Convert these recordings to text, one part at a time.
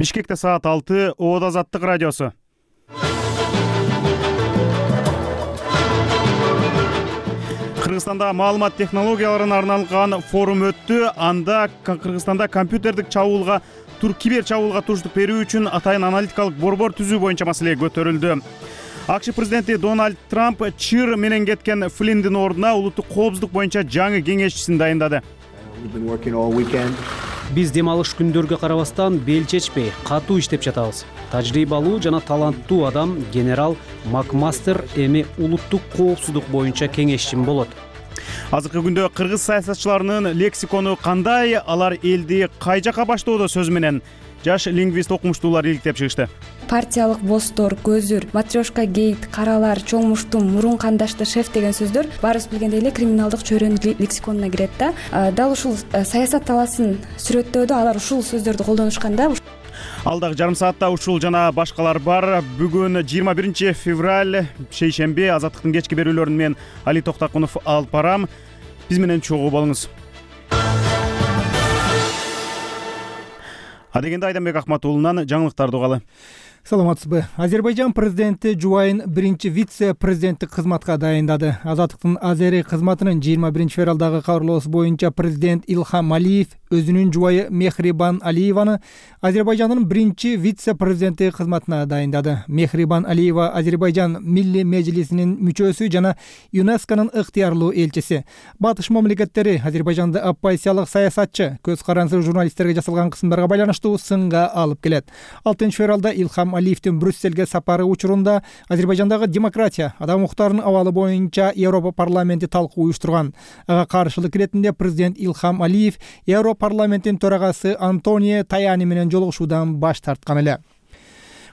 Бишкекте саат 6, Оод Азаттык радиосу. Кыргызстанда маалымат технологияларына арналган форум өттү. Анда Кыргызстанда компьютердик чабуулга, кибер чабуулга туруштук берүү үчүн атайын аналитикалык борбор түзүү боюнча маселе көтөрүлдү. АКШ президенти Дональд Трамп ЧИР менен кеткен Флиндин ордуна улуттук коопсуздук боюнча жаңы кеңешчисин дайындады. Биз дем алыш күндөргө карабастан бел чечпей, катуу иштеп жатабыз. Тажрыйбалуу жана таланттуу адам генерал Макмастер эми улуттук коопсуздук боюнча кеңешчим болот. Азыркы күндө кыргыз саясатчыларынын лексикону кандай, алар элди кай жака баштоодо сөз менен жаш лингвист окумуштуулар иликтеп чыгышты. Партиялык бостор, көзүр, матрешка гейт, каралар, чоң муштум, мурун кандашты, шеф деген сөздөр баарыбыз билгендей эле криминалдык чөйрөнүн лексиконуна кирет да. Дал ушул саясат таласын сүрөттөөдө алар ушул сөздөрдү колдонушкан да. Алдагы жарым саатта ушул жана башкалар бар. Бүгүн 21 февраль, шейшемби, Азаттыктын кечки берүүлөрүн мен Али Токтакунов алып барам. Биз менен чогуу болуңуз. Адегенде Айданбек Акматуулунан жаңылыктарды угалы. Саламатсызбы. Азербайжан президенти Жубайын биринчи вице-президенттик кызматка дайындады. Азаттыктын Азери кызматынын 21 февралдагы кабарлоосу боюнча президент Илхам Алиев өзүнүн жубайы Мехрибан Алиеваны Азербайжандын биринчи вице-президенти кызматына дайындады. Мехрибан Алиева Азербайжан Милли Мejlisинин мүчөсү жана ЮНЕСКОнун ыктыярлуу элчиси. Батыш мамлекеттери Азербайжанды оппозициялык саясатчы, көз карандысыз журналисттерге жасалган кысымдарга байланыштуу сынга алып келет. 6 февралда Илхам Алиевдин Брюсселге сапары учурунда Азербайжандагы демократия, адам укуктарынын абалы боюнча Европа парламенти талкуу уюштурган. Ага каршылык иретинде президент Илхам Алиев Европа парламентинин төрагасы Антонио Таяни менен жолугушуудан баш тарткан эле.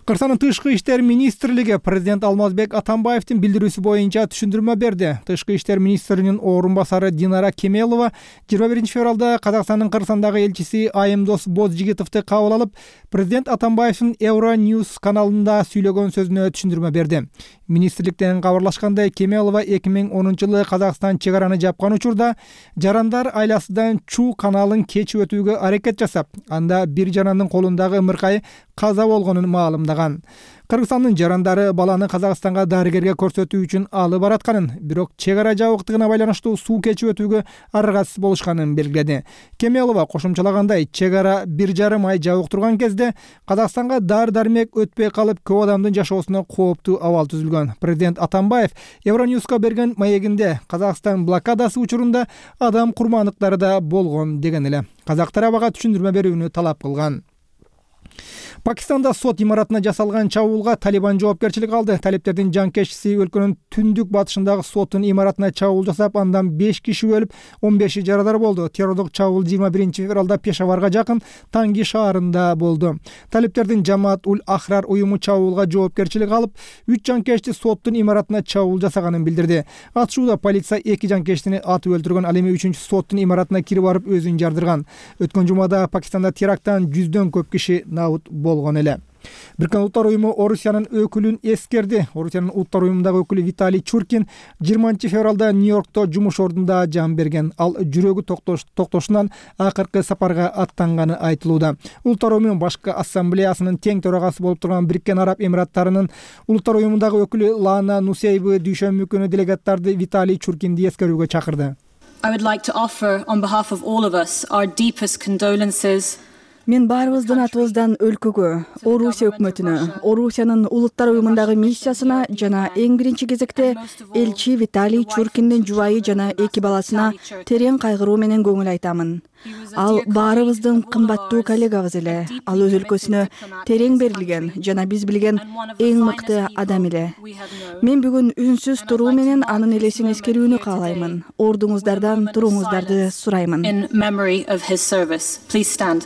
Кыргызстандын Тышкы иштер министрлиги президент Алмазбек Атамбаевдин билдирүүсү боюнча түшүндүрмө берди. Тышкы иштер министринин орун басары Динара Кемелова 21 февралда Казакстандын Кыргызстандагы элчиси Айымдос Бозжигитовду кабыл алып, президент Атамбаевдин Euronews каналында сүйлөгөн сөзүнө түшүндүрмө берди. Министрликтен кабарлашкандай, Кемелова 2010-жылы Казакстан чек араны жапкан учурда жарандар айласыдан Чу каналын кечип өтүүгө аракет жасап, анда бир жарандын колундагы ымыркай каза болгонун маалымдаган. Кыргызстандын жарандары баланы Казакстанга дарыгерге көрсөтүү үчүн алып баратканын, бирок чек ара жабыктыгына байланыштуу суу кечип өтүүгө аргасыз болушканын белгиледи. Кемелова кошумчалагандай, чек ара 1,5 ай жабык турган кезде Казакстанга дары-дармек өтпөй калып, көп адамдын жашоосуна кооптуу абал түзүлгөн. Президент Атамбаев Euronews'ка берген маегинде Казакстан блокадасы учурунда адам курмандыктары да болгон деген эле. Казак тарабыга түшүндүрмө берүүнү талап кылган. Пакистанда сот имаратына жасалган чабуулга Талибан жоопкерчилик алды. Талиптердин жанкечиси өлкөнүн түндүк батышындагы соттун имаратына чабуул жасап, андан 5 киши өлүп, 15 жарадар болду. Террордук чабуул 21 февралда Пешаварга жакын Танги шаарында болду. Талиптердин Жамаат-уль-Ахрар уюму чабуулга жоопкерчилик алып, 3 жанкечти соттун имаратына чабуул жасаганын билдирди. Атышууда полиция 2 жанкечтини атып өлтүргөн, ал эми 3-чү соттун имаратына кирип барып өзүн жардырган. Өткөн жумада Пакистанда теракттан 100дөн көп киши набут болгон эле. Бириккен Улуттар уюму Орусиянын өкүлүн эскерди. Орусиянын Улуттар уюмундагы өкүлү Виталий Чуркин 20 февралда Нью-Йоркто жумуш ордунда жан берген. Ал жүрөгү токтошунан акыркы сапарга аттанганы айтылууда. Улуттар уюму башкы ассамблеясынын тең төрагасы болуп турган Бириккен Араб Эмираттарынын Улуттар уюмундагы өкүлү Лана Нусейбы дүйшөмбү күнү делегаттарды Виталий Чуркинди эскерүүгө чакырды. I would like to offer on behalf of all of us our deepest condolences. Мен баарыбыздын атыбыздан өлкөгө, Орусия өкмөтүнө, Орусиянын Улуттар уюмундагы миссиясына жана эң биринчи кезекте элчи Виталий Чуркиндин жубайы жана 2 баласына терең кайгыруу менен көңүл айтамын. Ал баарыбыздын кымбаттуу коллегабыз эле. Ал өз өлкөсүнө терең берилген жана биз билген эң мыкты адам эле. Мен бүгүн үнсүз туруу менен анын элесин эскерүүнү каалаймын. Ордуңуздардан туруңуздарды сураймын. In memory of his service. Please stand.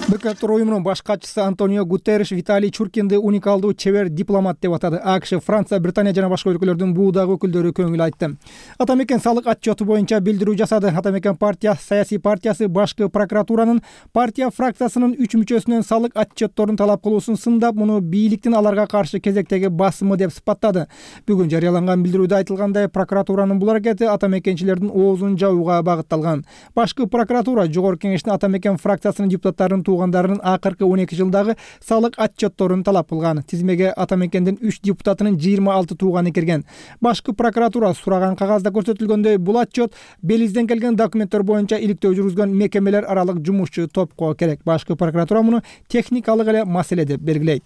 Бириккен Улуттар уюмунун баш катчысы Антонио Гутерриш Виталий Чуркинди уникалдуу чебер дипломат деп атады. АКШ, Франция, Британия жана башка өлкөлөрдүн буудагы өкүлдөрү көңүл айтты. Атамекен салык отчету боюнча билдирүү жасады. Атамекен саясий партиясы башкы прокуратуранын партия фракциясынын 3 мүчөсүнөн салык отчетторун талап кылуусун сындап, муну бийликтин аларга каршы кезектеги басымы деп сыпаттады. Бүгүн жарыяланган билдирүүдө айтылгандай, прокуратуранын бул аракети атамекенчилердин оозун жабууга багытталган. Башкы прокуратура Жогорку Кеңештин Атамекен фракциясынын депутаттарын туугандарынын акыркы 12 жылдагы салык отчетторун талап кылган. Тизмеге ата мекендин 3 депутатынын 26 тууганы кирген. Башкы прокуратура сураган кагазда көрсөтүлгөндөй, бул отчет Белизден келген документтер боюнча иликтөө жүргүзгөн мекемелер аралык жумушчу топко керек. Башкы прокуратура муну техникалык эле маселе деп белгилейт.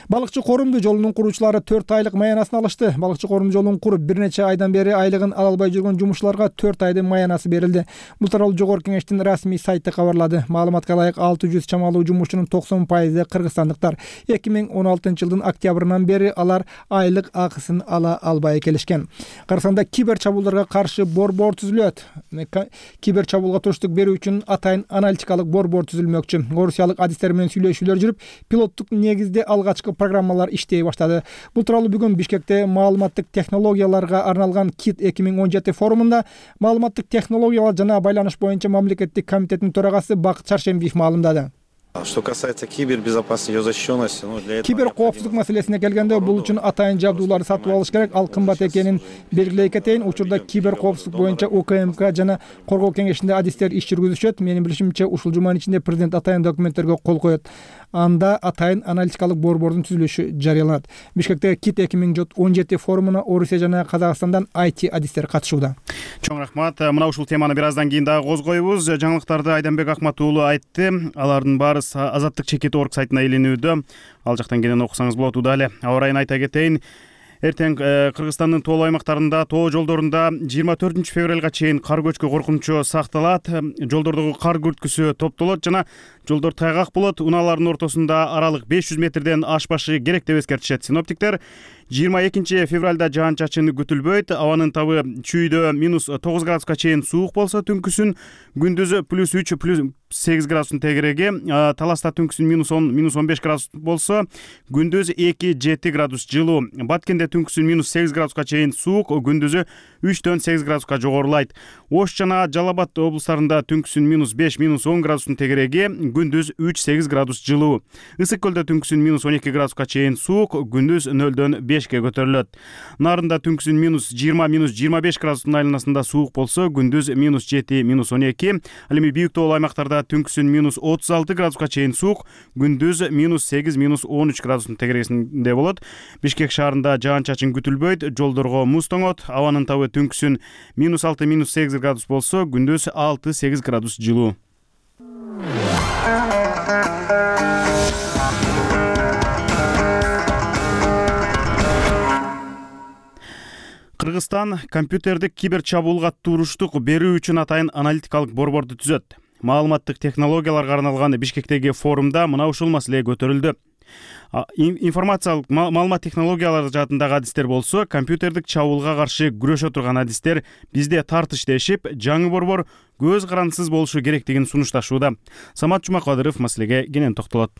Балыкчы корумду жолунун куруучулары 4 айлык маянасын алышты. Балыкчы корумду жолун куруп бир нече айдан бери айлыгын ала албай жүргөн жумушчуларга 4 айдын маянасы берилди. Бул тууралуу Жогорку Кеңештин расмий сайты кабарлады. Маалыматка ылайык 600 чамалуу жумушчунун 90% кыргызстандыктар. 2016 жылдын октябрынан бери алар айлык акысын ала албай келишкен. Кыргызстанда кибер чабуулдарга каршы борбор түзүлөт. Кибер чабуулга туруштук берүү үчүн атайын аналитикалык борбор түзүлмөкчү. Орусиялык адистер менен сүйлөшүүлөр жүрүп, пилоттук негизде алгачкы программалар иштей баштады. Бул тууралуу бүгүн Бишкекте маалыматтык технологияларга арналган КИТ 2017 форумунда маалыматтык технологиялар жана байланыш боюнча мамлекеттик комитеттин төрагасы Бакыт Шаршембиев маалымдады. Что касается кибербезопасности, ее защищенности, для этого кибер коопсуздук маселесине келгенде бул үчүн атайын жабдууларды сатып алыш керек. Ал кымбат экенин белгилей кетейин. Учурда кибер коопсуздук боюнча УКМК жана Коргоо кеңешинде адистер иш жүргүзүшөт. Менин билишимче, ушул жуманын ичинде президент атайын документтерге кол коет. Анда атайын аналитикалык борбордун түзүлүшү жарыяланат. Бишкекте КИТ 2017 форумуна Орусия жана Казакстандан IT адистер катышууда. Чоң рахмат. Мына ушул теманы бир аздан кийин дагы козгойбуз. Жаңылыктарды Айданбек Акмат уулу айтты. Алардын баары Азаттык чекит орг сайтына илинүүдө. Ал жактан кенен окусаңыз болот. Удале аба ырайын айта кетейин. Эртең Кыргызстандын тоолуу аймактарында, тоо жолдорунда 24 февралга чейин кар көчкү коркунучу сакталат. Жолдордогу кар күрткүсү топтолот жана жолдор тайгак болот. Унаалардын ортосунда аралык 500 метрден ашпашы керек деп эскертишет синоптиктер. 22 февралда жаан-чачын күтүлбөйт. Абанын табы чүйдө -9 градуска чейин суук болсо, түнкүсүн күндүзү +3 +8 градустун тегереги. Таласта түнкүсүн -10 -15 градус болсо, күндүз 2-7 градус жылуу. Баткенде түнкүсүн -8 градуска чейин суук, күндүзү 3-8 градуска жогорулайт. Ош жана Жалал Абад облустарында түнкүсүн -5 -10 градустун тегереги, күндүз 3-8 градус жылуу. Ысык көлдө түнкүсүн -12 градуска чейин суук, күндүз 0-5 көтөрүлөт. Нарында түнкүсүн -20 -25 градустун айланасында суук болсо, күндүз -7 -12. Ал эми бийик тоолуу аймактарда түнкүсүн -36 градуска чейин суук, күндүз -8 -13 градустун тегерегинде болот. Бишкек шаарында жаан-чачын күтүлбөйт, жолдорго муз тоңот. Абанын табы түнкүсүн -6 -8 градус болсо, күндүз 6-8 градус жылуу. Кыргызстан компьютердик кибер чабуулга туруштук берүү үчүн атайын аналитикалык борборду түзөт. Маалыматтык технологияларга арналган Бишкектеги форумда мына ушул маселе көтөрүлдү. Информациялык маалымат технологиялары жаатындагы адистер болсо, компьютердик чабуулга каршы күрөшө турган адистер бизде тартыш дешип, жаңы борбор көз карандысыз болушу керектигин сунушташууда. Самат Жумакадыров маселеге кенен токтолот.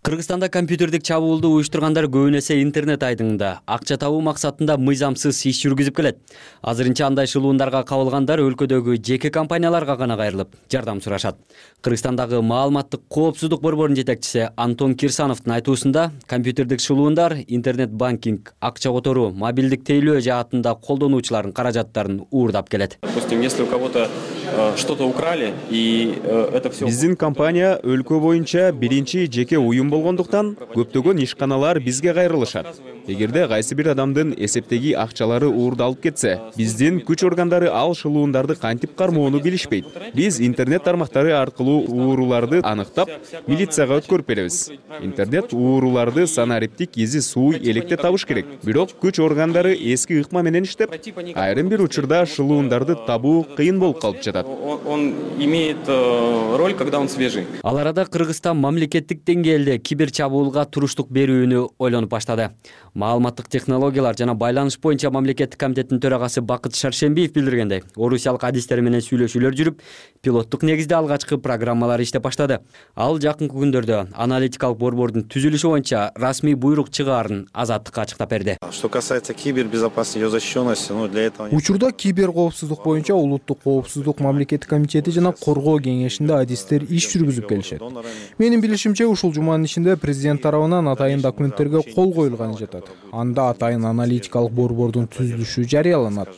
Кыргызстанда компьютердик чабуулду уюштургандар көбүн эсе интернет айдыңында акча табуу максатында мыйзамсыз иш жүргүзүп келет. Азырынча андай шылуундарга кабылгандар өлкөдөгү жеке компанияларга гана кайрылып, жардам сурашат. Кыргызстандагы маалыматтык коопсуздук борборунун жетекчиси Антон Кирсановдун айтуусунда, компьютердик шылуундар интернет-банкинг, акча которуу, мобилдик тейлөө жаатында колдонуучулардын каражаттарын уурдап келет. Допустим, если у кого-то что-то украли, и это все... Биздин компания өлкө боюнча биринчи жеке уюм болгондуктан көптөгөн ишканалар бизге кайрылышат. Эгерде кайсы бир адамдын эсептеги акчалары уурдалып кетсе, биздин күч органдары ал шылуундарды кантип кармоону билишпейт. Биз интернет тармактары аркылуу ууруларды аныктап, милицияга өткөрүп беребиз. Интернет ууруларды санариптик изи сууй электе табыш керек. Бирок күч органдары эски ыкма менен иштеп, айрым бир учурда шылуундарды табуу кыйын болуп калып жатат. Он имеет роль, когда он свежий. Ал арада Кыргызстан мамлекеттик деңгээлде кибер чабуулга туруштук берүүнү ойлонуп баштады. Маалыматтык технологиялар жана байланыш боюнча мамлекеттик комитеттин төрагасы Бакыт Шаршембиев билдиргендей, орусиялык адистер менен сүйлөшүүлөр жүрүп, пилоттук негизде алгачкы программалар иштеп баштады. Ал жакынкы күндөрдө аналитикалык борбордун түзүлүшү боюнча расмий буйрук чыгаарын Азаттыкка ачыктап берди. Что касается кибербезопасности, ее защищенности, для этого... Учурда кибер коопсуздук боюнча улуттук коопсуздук мамлекеттик комитети жана Коргоо кеңешинде адистер иш жүргүзүп келишет. Менин билишимче, ушул жуманын ичинде президент тарабынан атайын документтерге кол коюлганы жатат. болушат. Анда атайын аналитикалык борбордун түзүлүшү жарыяланат.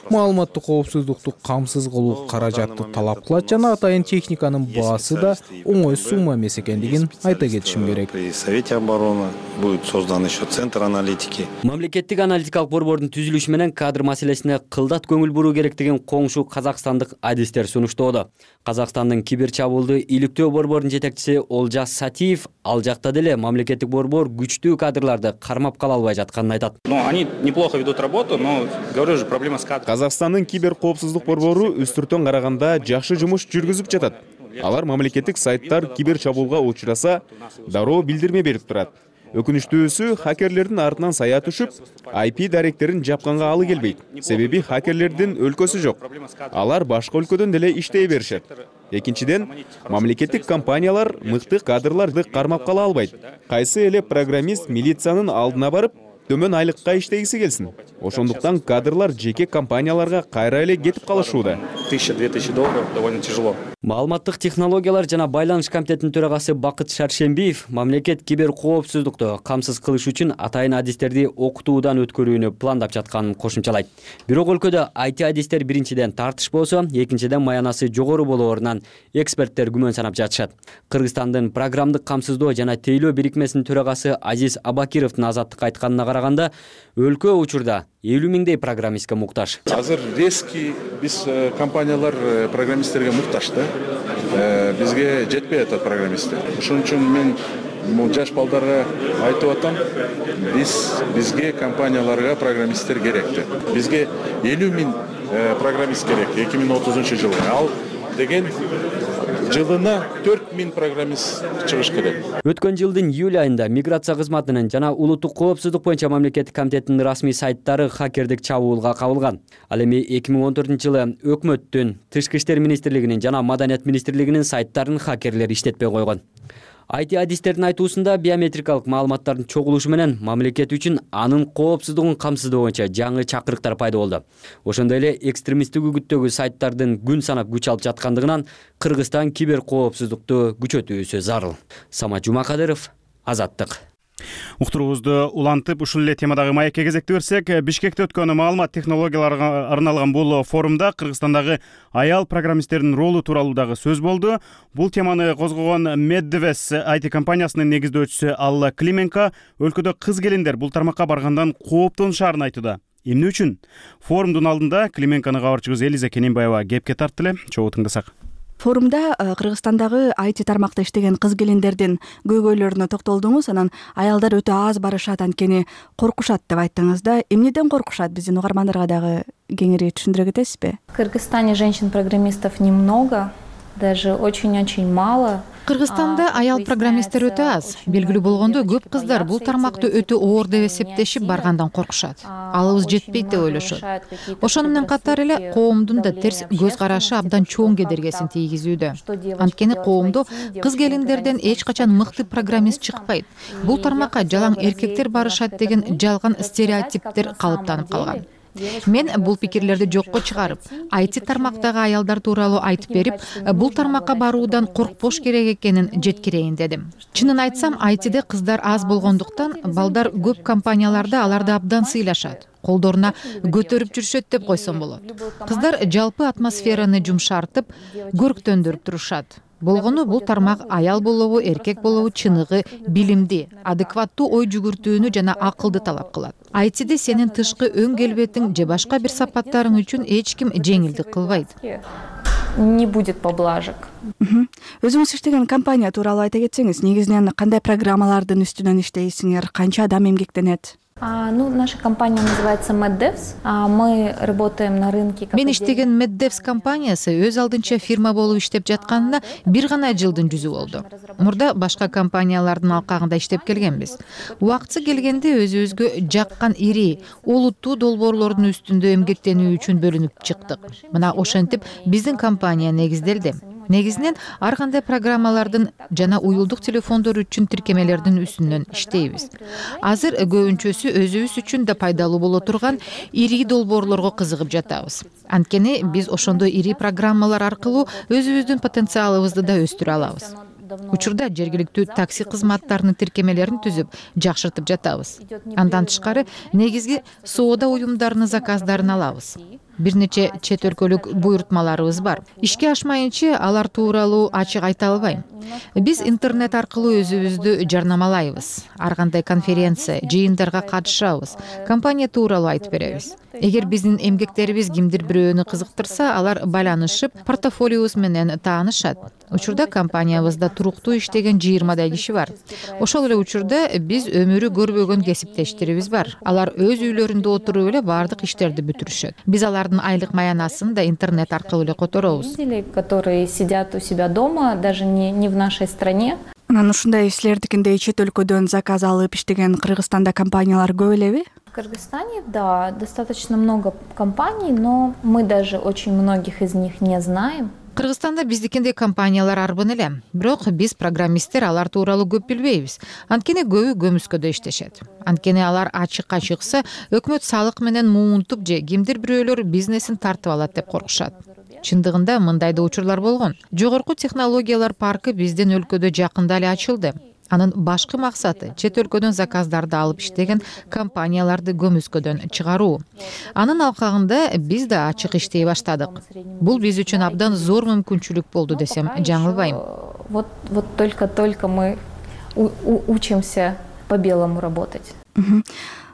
Маалыматтык коопсуздукту камсыз кылуу каражатты талап кылат жана атайын техниканын баасы да оңой сумма эмес экендигин айта кетишим керек. При Совете обороны будет создан еще центр аналитики. Мамлекеттик аналитикалык борбордун түзүлүшү менен кадр маселесине кылдат көңүл буруу керектигин коңшу казакстандык адистер сунуштоодо. Казакстандын кибер чабуулду иликтөө борборунун жетекчиси Олжас Сатиев ал жакта деле мамлекеттик борбор күчтүү кадрларды кармап кала албай жатканын айтат. Но они неплохо ведут работу, но говорю же, проблема с кадрами. Казакстандын кибер коопсуздук борбору үстүртөн караганда жакшы жумуш жүргүзүп жатат. Алар мамлекеттик сайттар кибер чабуулга учураса дароо билдирме берип турат. Өкүнүчтүүсү, хакерлердин артынан сая түшүп, IP даректерин жапканга алы келбейт. Себеби хакерлердин өлкөсү жок. Алар башка өлкөдөн деле иштей беришет. Экинчиден, мамлекеттик компаниялар мыкты кадрларды кармап кала албайт. Кайсы эле программист милициянын алдына барып, төмөн айлыкка иштегиси келсин. Ошондуктан кадрлар жеке компанияларга кайра эле кетип калышууда. $1000–2000 довольно тяжело. Маалыматтык технологиялар жана байланыш комитетинин төрагасы Бакыт Шаршембиев мамлекет кибер коопсуздукту камсыз кылыш үчүн атайын адистерди окутуудан өткөрүүнү пландап жатканын кошумчалайт. Бирок өлкөдө IT адистер биринчиден тартыш болсо, экинчиден маянасы жогору болоорунан эксперттер күмөн санап жатышат. Кыргызстандын программдык камсыздоо жана тейлөө бирикмесинин төрагасы Азиз Абакировдун Азаттыкка айтканына караганда, өлкө учурда 50 миңдей программистке муктаж. Азыр резкий биз компаниялар программисттерге муктаж да. Бизге жетпей атат программисттер. Ошон үчүн мен жаш балдарга айтып атам, бизге компанияларга программисттер керекти. Бизге 50 миң программист керек 2030-жылга. Ал деген жылына 4 миң программист чыгыш керек. Өткөн жылдын июль айында миграция кызматынын жана улуттук коопсуздук боюнча мамлекеттик комитетинин расмий сайттары хакердик чабуулга кабылган. Ал эми 2014-жылы өкмөттүн, Тышкы иштер министрлигинин жана Маданият министрлигинин сайттарын хакерлер иштетпей койгон. IT адистердин айтуусунда биометрикалык маалыматтардын чогулушу менен мамлекет үчүн анын коопсуздугун камсыздоо боюнча жаңы чакырыктар пайда болду. Ошондой эле экстремисттик үгүттөгү сайттардын күн санап күч алып жаткандыгынан Кыргызстан кибер коопсуздукту күчөтүүсү зарыл. Самат Жумакадыров, Азаттык. Уктуруубузду улантып, ушул эле темадагы маекке кезекти берсек, Бишкекте өткөн маалымат технологияларга арналган бул форумда Кыргызстандагы аял программисттердин ролу тууралуу дагы сөз болду. Бул теманы козгогон Medves IT компаниясынын негиздөөчүсү Алла Клименко өлкөдө кыз келиндер бул тармакка баргандан кооптонушаарын айтууда. Эмне үчүн? Форумдун алдында Клименкону кабарчыбыз Элиза Кененбаева кепке тартты эле. Чогуу тыңдасак. Форумда Кыргызстандагы IT тармакта иштеген кыз келиндердин көйгөйлөрүнө токтолдуңуз. Анан аялдар өтө аз барышат, анткени коркушат деп айттыңыз да. Эмнеден коркушат? Биздин угармандарга дагы кеңири түшүндүрө кетесизби? В Кыргызстане женщин-программистов немного, даже очень-очень мало. Кыргызстанда аял программисттер өтө аз. Белгилүү болгондой, көп кыздар бул тармакты өтө оор деп эсептешип баргандан коркушат. Алыбыз жетпейт деп ойлошот. Ошону менен катар эле коомдун да терс көз карашы абдан чоң кедергесин тийгизүүдө. Анткени коомдо кыз келиндерден эч качан мыкты программист чыкпайт. Бул тармакка жалаң эркектер барышат деген жалган стереотиптер калыптанып калган. Мен бул пикирлерди жокко чыгарып, IT тармактагы аялдар тууралуу айтып берип, бул тармакка баруудан коркпош керек экенин жеткирейин дедим. Чынын айтсам, ITде кыздар аз болгондуктан балдар көп компанияларда аларды абдан сыйлашат. Колдоруна көтөрүп жүрүшөт деп койсом болот. Кыздар жалпы атмосфераны жумшартып, көрктөндүрүп турушат. Болгону бул тармак аял болобу, эркек болобу чыныгы, билимди, адекваттуу ой жүгүртүүнү жана акылды талап кылат. ITде сенин тышкы өң келбетиң же башка бир сапаттарың үчүн эч ким жеңилдик кылбайт. Не будет поблажек. Өзүңүз иштеген компания тууралуу айта кетсеңиз, негизинен кандай программалардын үстүнөн иштейсиңер, канча адам эмгектенет? Наша компания называется Medves. Мы работаем на рынке. Мен иштеген Medves компаниясы өз алдынча фирма болуп иштеп жатканына бир гана жылдын жүзү болду. Мурда башка компаниялардын алкагында иштеп келгенбиз. Убактысы келгенде өзүбүзгө жаккан ири, олуттуу долбоорлордун үстүндө эмгектенүү үчүн бөлүнүп чыктык. Мына ошентип биздин компания негизделди. Негизинен ар кандай программалардын жана уюлдук телефондор үчүн тиркемелердин үстүнөн иштейбиз. Азыр көбүнчөсү өзүбүз үчүн да пайдалуу боло турган ири долбоорлорго кызыгып жатабыз. Анткени биз ошондой ири программалар аркылуу өзүбүздүн потенциалыбызды да өстүрө алабыз. Учурда жергиликтүү такси кызматтарынын тиркемелерин түзүп, жакшыртып жатабыз. Андан тышкары негизги соода уюмдарынын заказдарын алабыз. Бир нече чет өлкөлүк буйрутмаларыбыз бар. Ишке ашмайынча алар тууралуу ачык айта албайм. Биз интернет аркылуу өзүбүздү жарнамалайбыз. Ар кандай конференция, жыйындарга катышабыз. Компания тууралуу айтып беребиз. Эгер биздин эмгектерибиз кимдир бирөөнү кызыктырса, алар байланышып, портфолиобуз менен таанышат. Учурда компаниябызда туруктуу иштеген 20 киши бар. Ошол эле учурда биз өмүрү көрбөгөн кесиптештерибиз бар. Алар өз үйлөрүндө отуруп эле баардык иштерди бүтүрүшөт. Биз алардын айлык маянасын да интернет аркылуу эле которобуз. Которые сидят у себя дома, даже не в нашей стране. Анан ушундай силердикиндей чет өлкөдөн заказ алып иштеген Кыргызстанда компаниялар көп элеби? В Кыргызстане, да, достаточно много компаний, но мы даже очень многих из них не знаем. Кыргызстанда биздикиндей компаниялар арбын эле. Бирок биз программисттер алар тууралуу көп билбейбиз. Анткени көбү көмүскөдө иштешет. Анткени алар ачыкка чыкса, өкмөт салык менен муунтуп же кимдир бирөөлөр бизнесин тартып алат деп коркушат. Чындыгында мындай да учурлар болгон. Жогорку технологиялар паркы биздин өлкөдө жакында эле ачылды. Анын башкы максаты чет өлкөдөн заказдарды алып иштеген компанияларды көмүскөдөн чыгаруу. Анын алкагында биз да ачык иштей баштадык. Бул биз үчүн абдан зор мүмкүнчүлүк болду десем жаңылбайм. Вот только мы учимся по-белому работать.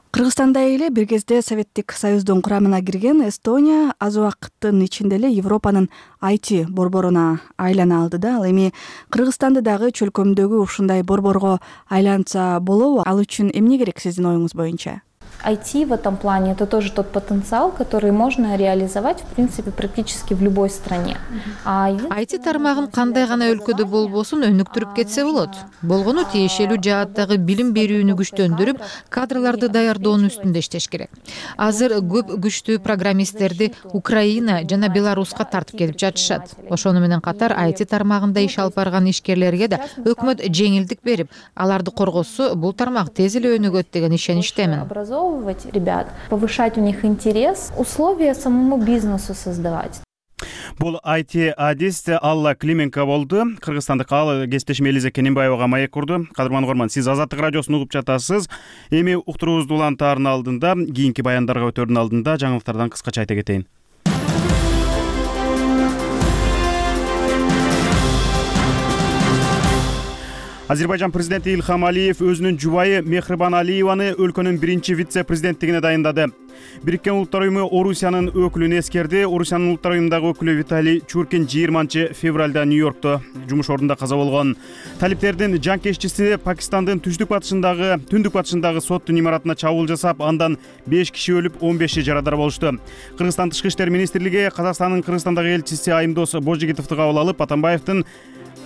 Кыргызстанда эле бир кезде Советтик Союздун курамына кирген Эстония аз убакыттын ичинде эле Европанын IT борборуна айлана алды да. Ал эми Кыргызстанды дагы чөлкөмдөгү ушундай борборго айлантса болобу? Ал үчүн эмне керек сиздин оюңуз боюнча? IT в этом плане — это тоже тот потенциал, который можно реализовать, в принципе, практически в любой стране. IT тармагын кандай гана өлкөдө болбосун өнүктүрүп кетсе болот. Болгону тиешелүү жааттагы билим берүүнү күчтөндүрүп, кадрларды даярдоонун үстүндө иштеш керек. Азыр көп күчтүү программисттерди Украина жана Беларуска тартып келип жатышат. Ошону менен катар IT тармагында иш алып барган ишкерлерге да өкмөт жеңилдик берип, аларды коргосо, бул тармак тез эле өнүгөт деген ишеничтемин. Ребят, повышать у них интерес, условия самому бизнесу создавать. Бул IT адист Алла Клименко болду. Кыргызстандык ал кесиптешим Элиза Кененбаевага маек курду. Кадырман угарман, сиз Азаттык радиосун угуп жатасыз. Эми уктуруубузду улантаардын алдында, кийинки баяндарга өтөрдүн алдында жаңылыктардан кыскача айта кетейин. Азербайжан президенти Ильхам Алиев өзүнүн жубайы Мехрибан Алиеваны өлкөнүн биринчи вице-президенттигине дайындады. Бириккен Улуттар уюму Орусиянын өкүлүн эскерди. Орусиянын Улуттар уюмундагы өкүлү Виталий Чуркин 20-февралда Нью-Йоркто жумуш ордунда каза болгон. Талиптердин жанкеччиси Пакистандын түндүк батышындагы соттун имаратына чабуул жасап, андан 5 киши өлүп, 15 жарадар болушту. Кыргызстан Тышкы иштер министрлиги Казакстандын Кыргызстандагы элчиси Айымдос Божигитовду кабыл алып, Атамбаевдин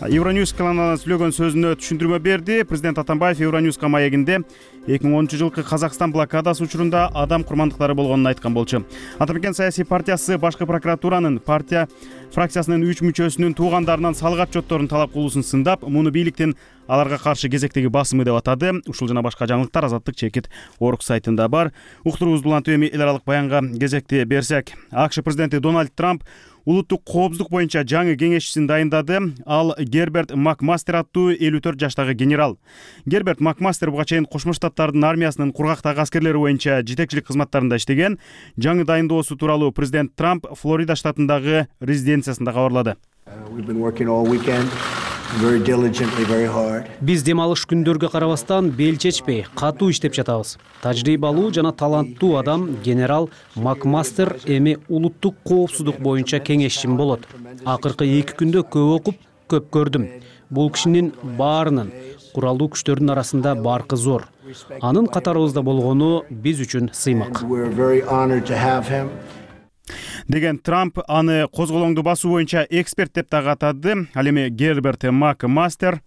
Евроньюз каналына сүйлөгөн сөзүнө түшүндүрмө берди. Президент Атамбаев Евроньюзга маегинде 2010 жылкы Казакстан блокадасы учурунда адам курмандыктары болгонун айткан болчу. Атамекен саясий партиясы башкы прокуратуранын партия фракциясынын 3 мүчөсүнүн туугандарынан салык отчетторун талап кылуусун сындап, муну бийликтин аларга каршы кезектеги басымы деп атады. Ушул жана башка жаңылыктар Азаттык чекит Орг сайтында бар. Уктуруубузду улантып эми эл аралык баянга кезекти берсек, АКШ президенти Дональд Трамп улуттук коопсуздук боюнча жаңы кеңешчисин дайындады. Ал Герберт Макмастер аттуу 54 жаштагы генерал. Герберт Макмастер буга чейин Кошмо Штаттардын армиясынын кургактагы аскерлери боюнча жетекчилик кызматтарында иштеген. Жаңы дайындоосу тууралуу президент Трамп Флорида штатындагы резиденциясында кабарлады. Биз дем алыш күндөргө карабастан бел чечпей, катуу иштеп жатабыз. Тажрыйбалуу жана таланттуу адам генерал Макмастер эми улуттук коопсуздук боюнча кеңешчим болот. Акыркы 2 күндө көп окуп, көп көрдүм. Бул кишинин баарынын куралдуу күчтөрдүн арасында баркы зор. Анын катарыбызда болгону биз үчүн сыймак. Деген Трамп аны козголоңду басуу боюнча эксперт деп дагы атады. Ал эми Герберт Макмастер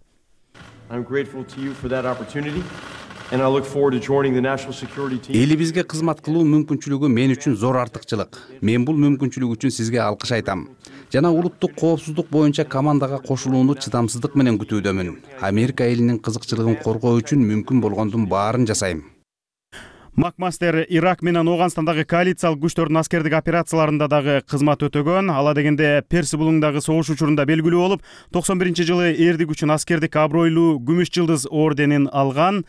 элибизге кызмат кылуу мүмкүнчүлүгү мен үчүн зор артыкчылык. Мен бул мүмкүнчүлүк үчүн сизге алкыш айтам. Жана улуттук коопсуздук боюнча командага кошулууну чыдамсыздык менен күтүүдөмүн. Америка элинин кызыкчылыгын коргоо үчүн мүмкүн болгондун баарын жасайм. Макмастер Ирак менен Ооганстандагы коалициялык күчтөрдүн аскердик операцияларында дагы кызмат өтөгөн. Ала дегенде Перси булуңундагы согуш учурунда белгилүү болуп, 91-жылы эрдик үчүн аскердик абройлуу күмүш жылдыз орденин алган.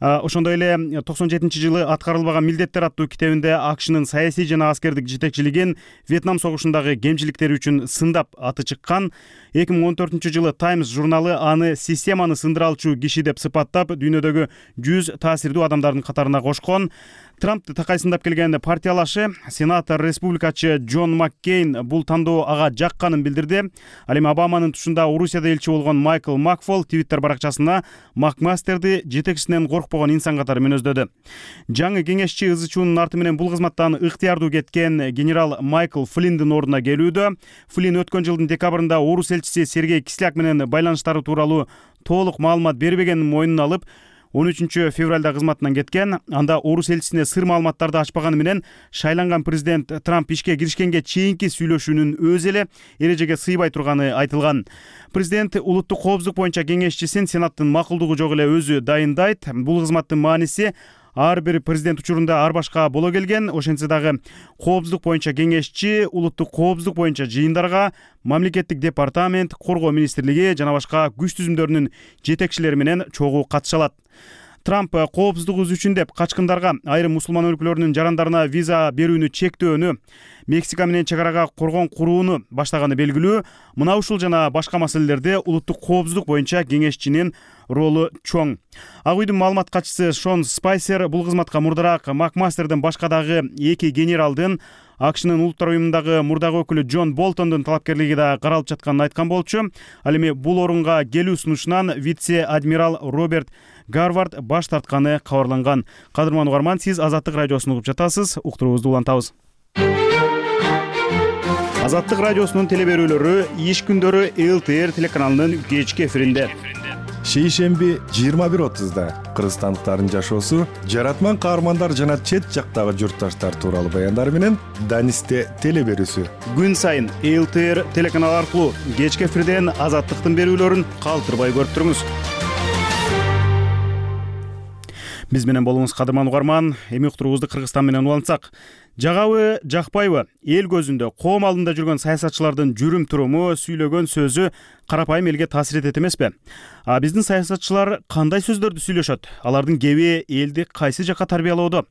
Ошондой эле 97-жылы аткарылбаган милдеттер аттуу китебинде АКШнын саясий жана аскердик жетекчилигин Вьетнам согушундагы кемчиликтери үчүн сындап аты чыккан. 2014-жылы Times журналы аны системаны сындыра алчу киши деп сыпаттап, дүйнөдөгү 100 таасирдүү адамдардын катарына кошкон. Трампты такайсындап келген партиялашы сенатор республикачы Джон Маккейн бул тандоо ага жакканын билдирди. Ал эми Обаманын тушунда Орусияда элчи болгон Майкл Макфол Twitter баракчасына Макмастерди жетекчисинен коркпогон инсан катары мүнөздөдү. Жаңы кеңешчи ызычуунун арты менен бул кызматтан ыктыярдуу кеткен генерал Майкл Флинндин ордуна келүүдө. Флинн өткөн жылдын декабрында орус элчиси Сергей Кисляк менен байланыштары тууралуу толук маалымат бербегенин мойнуна алып, 13 февралда кызматынан кеткен. Анда орус элчисине сыр маалыматтарды ачпаганы менен шайланган президент Трамп ишке киришкенге чейинки сүйлөшүүнүн өзү эле эрежеге сыйбай турганы айтылган. Президент улуттук коопсуздук боюнча кеңешчисин Сенаттын макулдугу жок эле өзү дайындайт. Бул кызматтын мааниси ар бир президент учурунда ар башка боло келген. Ошентсе дагы коопсуздук боюнча кеңешчи улуттук коопсуздук боюнча жыйындарга мамлекеттик департамент, коргоо министрлиги жана башка күч түзүмдөрүнүн жетекчилери менен чогуу катыша алат. Трамп коопсуздугубуз үчүн деп качкындарга, айрым мусулман өлкөлөрүнүн жарандарына виза берүүнү чектөөнү, Мексика менен чек арага коргон курууну баштаганы белгилүү. Мына ушул жана башка маселелерде улуттук коопсуздук боюнча кеңешчинин ролу чоң. Ак үйдүн маалымат катчысы Шон Спайсер бул кызматка мурдараак Макмастердин башка дагы 2 генералдын АКШнын улуттар уюмундагы мурдагы өкүлү Джон Болтондун талапкерлиги да каралып жатканын айткан болчу. Ал эми бул орунга келүү сунушунан вице-адмирал Роберт Гарвард баш тартканы кабарланган. Кадырман угарман, сиз Азаттык радиосун угуп жатасыз. Уктуруубузду улантабыз. Азаттык радиосунун телеберүүлөрү иш күндөрү ЛТР телеканалынын кечки эфиринде. Шейшемби 21:30 кыргызстандыктардын жашоосу, жаратман каармандар жана чет жактагы журтташтар тууралуу баяндар менен Данисте телеберүүсү. Күн сайын ЛТР телеканалы аркылуу кечки эфирден Азаттыктын берүүлөрүн калтырбай көрүп туруңуз. Биз менен болуңуз кадырман угарман. Эми уктуруубузду Кыргызстан менен улантсак, жагабы, жакпайбы, эл көзүндө, коом алдында жүргөн саясатчылардын жүрүм туруму, сүйлөгөн сөзү карапайым элге таасир этет эмеспи? Биздин саясатчылар кандай сөздөрдү сүйлөшөт? Алардын кеби элди кайсы жакка тарбиялоодо?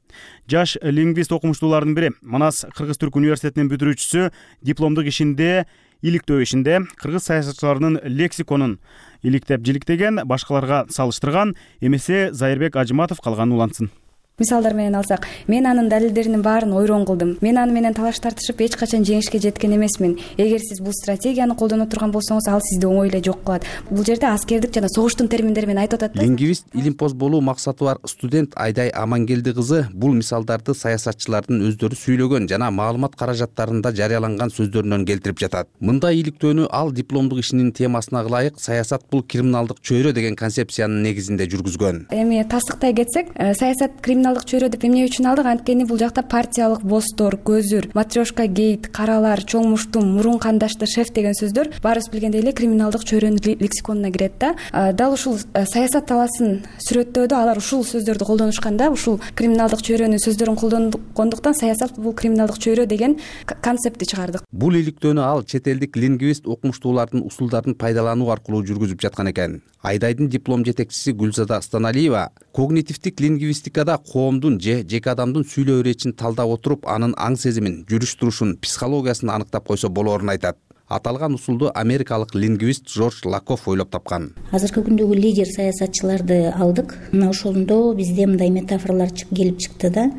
Жаш лингвист окумуштуулардын бири, Манас Кыргыз-Түрк университетинин бүтүрүүчүсү, дипломдук ишинде, иликтөө ишинде кыргыз саясатчыларынын лексиконун иликтеп жиликтеген, башкаларга салыштырган эмесе Зайырбек Ажыматов калганын улантсын. Мисалдар менен алсак, мен анын далилдеринин баарын ойрон кылдым. Мен аны менен талаш тартышып эч качан жеңишке жеткен эмесмин. Эгер сиз бул стратегияны колдоно турган болсоңуз, ал сизди оңой эле жок кылат. Бул жерде аскердик жана согуштун терминдери менен айтып атат да. Лингвист, илимпоз болуу максаты бар студент Айдай Амангелди кызы бул мисалдарды саясатчылардын өздөрү сүйлөгөн жана маалымат каражаттарында жарыяланган сөздөрүнөн келтирип жатат. Мындай иликтөөнү ал дипломдук ишинин темасына ылайык саясат бул криминалдык чөйрө деген концепциянын негизинде жүргүзгөн. Эми тастыктай кетсек, саясат криминалдык чөйрө деп эмне үчүн алдык? Анткени бул жакта партиялык бостор, көзүр, матрешка гейт, каралар, чоң муштум, мурун кандашты, шеф деген сөздөр баарыбыз билгендей эле криминалдык чөйрөнүн лексиконуна кирет да. Дал ушул саясат талаасын сүрөттөөдө алар ушул сөздөрдү колдонушкан да. Ушул криминалдык чөйрөнүн сөздөрүн колдонгондуктан саясат бул криминалдык чөйрө деген концептти чыгардык. Бул иликтөөнү ал чет элдик лингвист окумуштуулардын усулдарын пайдалануу аркылуу жүргүзүп жаткан экен. Айдайдын диплом жетекчиси Гүлзада Станалиева когнитивдик лингвистикада коомдун же жеке адамдын сүйлөө иречин талдап отуруп, анын аң сезимин, жүрүш турушун, психологиясын аныктап койсо болоорун айтат. Аталган усулду америкалык лингвист Жорж Лакоф ойлоп тапкан. Азыркы күндөгү лидер саясатчыларды алдык. Мына ошондо бизде мындай метафоралар келип чыкты да.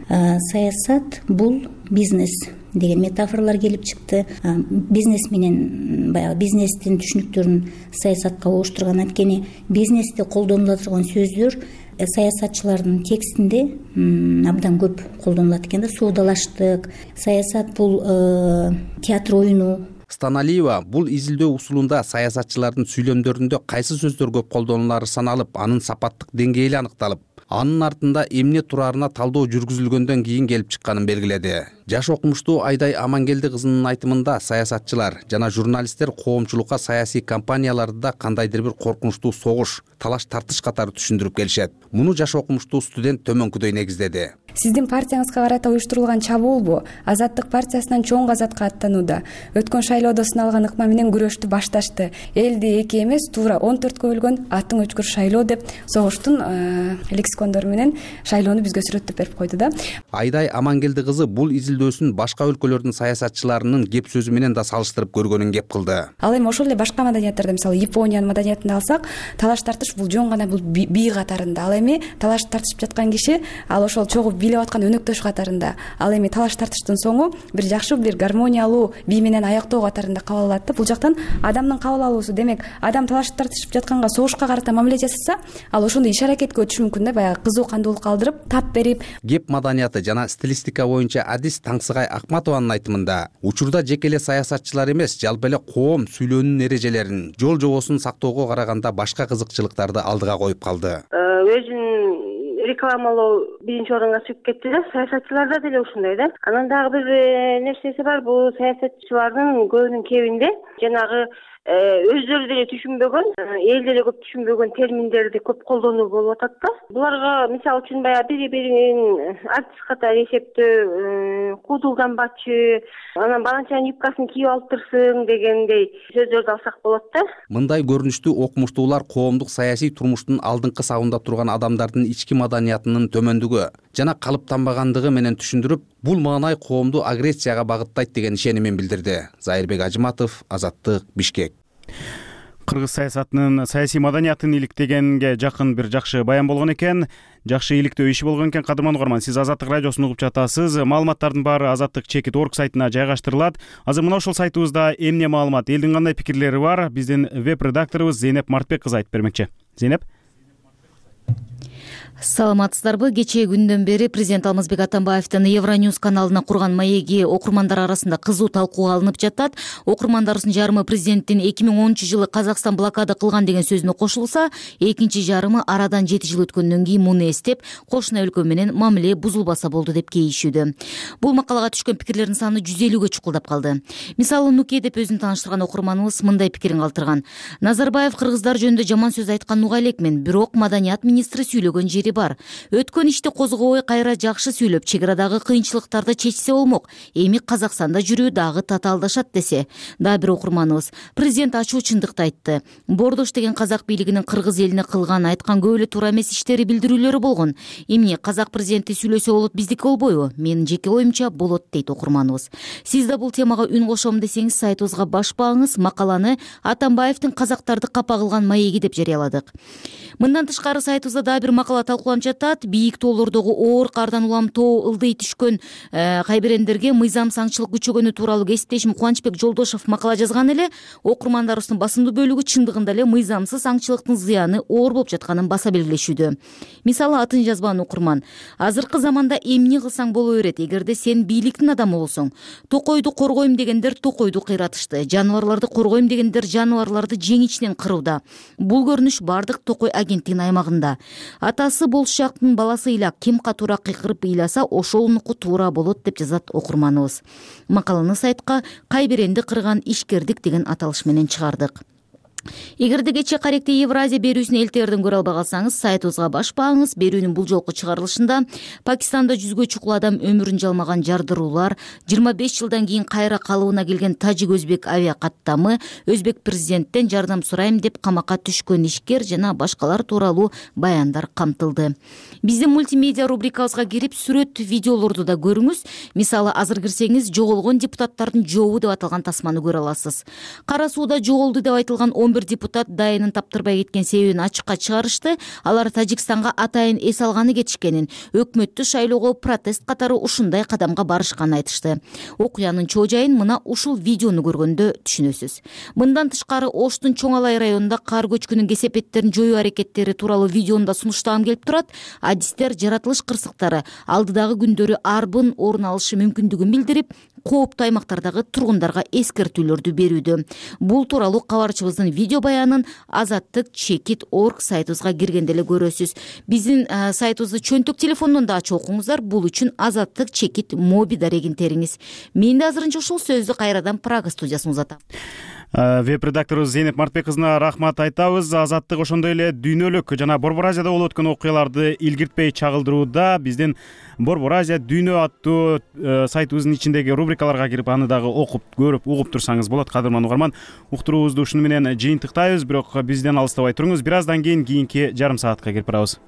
Саясат бул бизнес деген метафоралар келип чыкты. Бизнес менен баягы бизнестин түшүнүктөрүн саясатка угуштурган. Анткени бизнесте колдонула турган сөздөр саясатчылардын текстинде абдан көп колдонулат экен да. Соодалаштык, саясат бул театр оюну. Станалиева бул изилдөө усулунда саясатчылардын сүйлөмдөрүндө кайсы сөздөр көп колдонулары саналып, анын сапаттык деңгээли аныкталып, анын артында эмне турарына талдоо жүргүзүлгөндөн кийин келип чыкканын белгиледи. Жаш окумуштуу Айдай Амангелди кызынын айтымында саясатчылар жана журналисттер коомчулукка саясий кампанияларда кандайдыр бир коркунучтуу согуш, талаш тартыш катары түшүндүрүп келишет. Муну жаш окумуштуу студент төмөнкүдөй негиздеди. Сиздин партияңызга карата уюштурулган чабуулбу? Азаттык партиясынан чоң казатка аттанууда. Өткөн шайлоодо сыналган ыкма менен күрөштү башташты. Элди 2 эмес, туура 14кө бөлгөн аттың өчкүр шайлоо деп согуштун лексикондору менен шайлоону бизге сүрөттөп берип койду да. Айдай Амангелди кызы бул изилдөөсүн башка өлкөлөрдүн саясатчыларынын кеп сөзү менен да салыштырып көргөнүн кеп кылды. Ал эми ошол эле башка маданияттарда, мисалы Япониянын маданиятын алсак, талаш тартыш бул жөн гана бул бий катарында. Ал эми талаш тартышып жаткан киши ал ошол чогуу бийлеп аткан өнөктөш катарында. Ал эми талаш тартыштын соңу бир жакшы бир гармониялуу бий менен аяктоо катарында кабыл алат да. Бул жактан адамдын кабыл алуусу, демек адам талаш тартышып жатканга согушка карата мамиле жасаса, ал ошондой иш аракетке өтүшү мүмкүн да, баягы кызуу кандуулук калтырып, тап берип. Кеп маданияты жана стилистика боюнча адис Таңсыгай Акматованын айтымында, учурда жеке эле саясатчылар эмес, жалпы эле коом сүйлөөнүн эрежелерин, жол жобосун сактоого караганда башка кызыкчылыктарды алдыга коюп калды. Өзүн рекламалоо биринчи орунга чыгып кетти да, саясатчыларда деле ушундай да. Анан дагы бир нерсеси бар, бул саясатчылардын көбүнүн кебинде жанагы өздөрү деле түшүнбөгөн, эл деле көп түшүнбөгөн терминдерди көп колдонуу болуп атат да. Буларга мисалы үчүн баягы бири-бирин артист катары эсептөө, куудулданбачы, анан баланчанын юбкасын кийип алып турсуң дегендей сөздөрдү алсак болот да. Мындай көрүнүштүү окумуштуулар коомдук саясий турмуштун алдыңкы сабында турган адамдардын ички маданиятынын төмөндүгү жана калыптанбагандыгы менен түшүндүрүп, бул маанай коомду агрессияга багыттайт деген ишенимин билдирди. Зайырбек Ажыматов, Азаттык, Бишкек. Кыргыз саясатынын саясий маданиятын иликтегенге жакын бир жакшы баян болгон экен. Жакшы иликтөө иши болгон экен. Кадырман угарман, сиз Азаттык радиосун угуп жатасыз. Маалыматтардын баары Азаттык-org сайтына жайгаштырылат. Азыр мына ушул сайтыбызда эмне маалымат, элдин кандай пикирлери бар? Биздин веб-редакторубуз Зейнеп Мартбек кызы айтып бермекчи. Зейнеп. Саламатсыздарбы? Кечээ күндөн бери президент Алмазбек Атамбаевдин Евроньюз каналына курган маеги окурмандар арасында кызуу талкууга алынып жатат. Окурмандарыбыздын жарымы президенттин 2010-жылы Казакстан блокада кылган деген сөзүнө кошулса, экинчи жарымы арадан 7 жыл өткөндөн кийин муну эстеп, кошуна өлкө менен мамиле бузулбаса болду деп кейишүүдө. Бул макалага түшкөн пикирлердин саны 150гө чукулдап калды. Мисалы Нуке деп өзүн тааныштырган окурманыбыз мындай пикирин калтырган. Назарбаев кыргыздар жөнүндө жаман сөз айтканын уга элекмин, бирок маданият министри сүйлөгөн жери бар. Өткөн ишти козгобой кайра жакшы сүйлөп, чек арадагы кыйынчылыктарды чечсе болмок. Эми Казакстанда жүрүү дагы татаалдашат десе. Дагы бир окурманыбыз президент ачуу чындыкты айтты. Бордош деген казак бийлигинин кыргыз элине кылган, айткан көп эле туура эмес иштери билдирүүлөрү болгон. Эмне казак президенти сүйлөсө болот, биздики болбойбу? Менин жеке оюмча болот дейт окурманыбыз. Сиз да бул темага үн кошом десеңиз, сайтыбызга башпаңыз. Макаланы Атамбаевдин казактарды капа кылган маеги деп жарыяладык. Мындан тышкары сайтыбызда дагы бир макала талкууланып жатат. Бийик тоолордогу оор кардан улам тоо ылдый түшкөн кайберендерге мыйзам саңчылык күчөгөнү тууралуу кесиптешим Кубанычбек Жолдошов макала жазган эле. Окурмандарыбыздын басымдуу бөлүгү чындыгында эле мыйзамсыз аңчылыктын зыяны оор болуп жатканын баса белгилешүүдө. Мисалы атын жазбаган окурман: азыркы заманда эмне кылсаң боло берет, эгерде сен бийликтин адамы болсоң. Токойду коргойм дегендер токойду кыйратышты, жаныбарларды коргойм дегендер жаныбарларды жеңичинен кырууда. Бул көрүнүш бардык Токой агенттигинин аймагында. Атасы болушактын баласы ыйлак, ким катуура кыйкырып ыйласа, ошолунуку туура болот деп жазат окурманыбыз. Макаланы сайтка кайберенди кырган ишкердик деген аталыш менен чыгардык. Эгерде кечээ Каректе Евразия берүүсүн элтерден көрө албай калсаңыз, сайтыбызга башпаңыз. Берүүнүн бул жолку чыгарылышында Пакистанда 100гө чукул адам өмүрүн жалмаган жардыруулар, 25 жылдан кийин кайра калыбына келген тажик-өзбек авиа каттамы, өзбек президенттен жардам сурайм деп камакка түшкөн ишкер жана башкалар тууралуу баяндар камтылды. Биздин мультимедиа рубрикабызга кирип, сүрөт, видеолорду да көрүңүз. Мисалы, азыр кирсеңиз, жоголгон депутаттардын жообу деп аталган тасманы көрө аласыз. Кара сууда жоголду деп айтылган 11 депутат дайынын таптырбай кеткен себебин ачыкка чыгарышты. Алар Тажикстанга атайын эс алганы кетишкенин, өкмөттү шайлоого протест катары ушундай кадамга барышканын айтышты. Окуянын чоо жайын мына ушул видеону көргөндө түшүнөсүз. Мындан тышкары Оштун Чоң Алай районунда кар көчкүнүн кесепеттерин жоюу аракеттери тууралуу видеону да сунуштагым келип турат. Адистер жаратылыш кырсыктары алдыдагы күндөрү арбын орун алышы мүмкүндүгүн билдирип, кооптуу аймактардагы тургундарга эскертүүлөрдү берүүдө. Бул тууралуу кабарчыбыздын видео баянын Азаттык-org сайтыбызга киргенде эле көрөсүз. Биздин сайтыбызды чөнтөк телефондон да ачып окуңуздар. Бул үчүн Азаттык-mobi дарегин териңиз. Мен да азырынча ушул сөздү кайрадан Прага студиясына узатам. веб редакторубуз Зейнеп Мартбек кызына рахмат айтабыз. Азаттык ошондой эле дүйнөлүк жана Борбор Азияда болуп өткөн окуяларды илгиртпей чагылдырууда. Биздин Борбор Азия дүйнө аттуу сайтыбыздын ичиндеги рубрикаларга кирип аны дагы окуп, көрүп, угуп турсаңыз болот. Кадырман угарман, уктуруубузду ушуну менен жыйынтыктайбыз, бирок бизден алыстабай туруңуз. Бир аздан кийин кийинки жарым саатка кирип барабыз.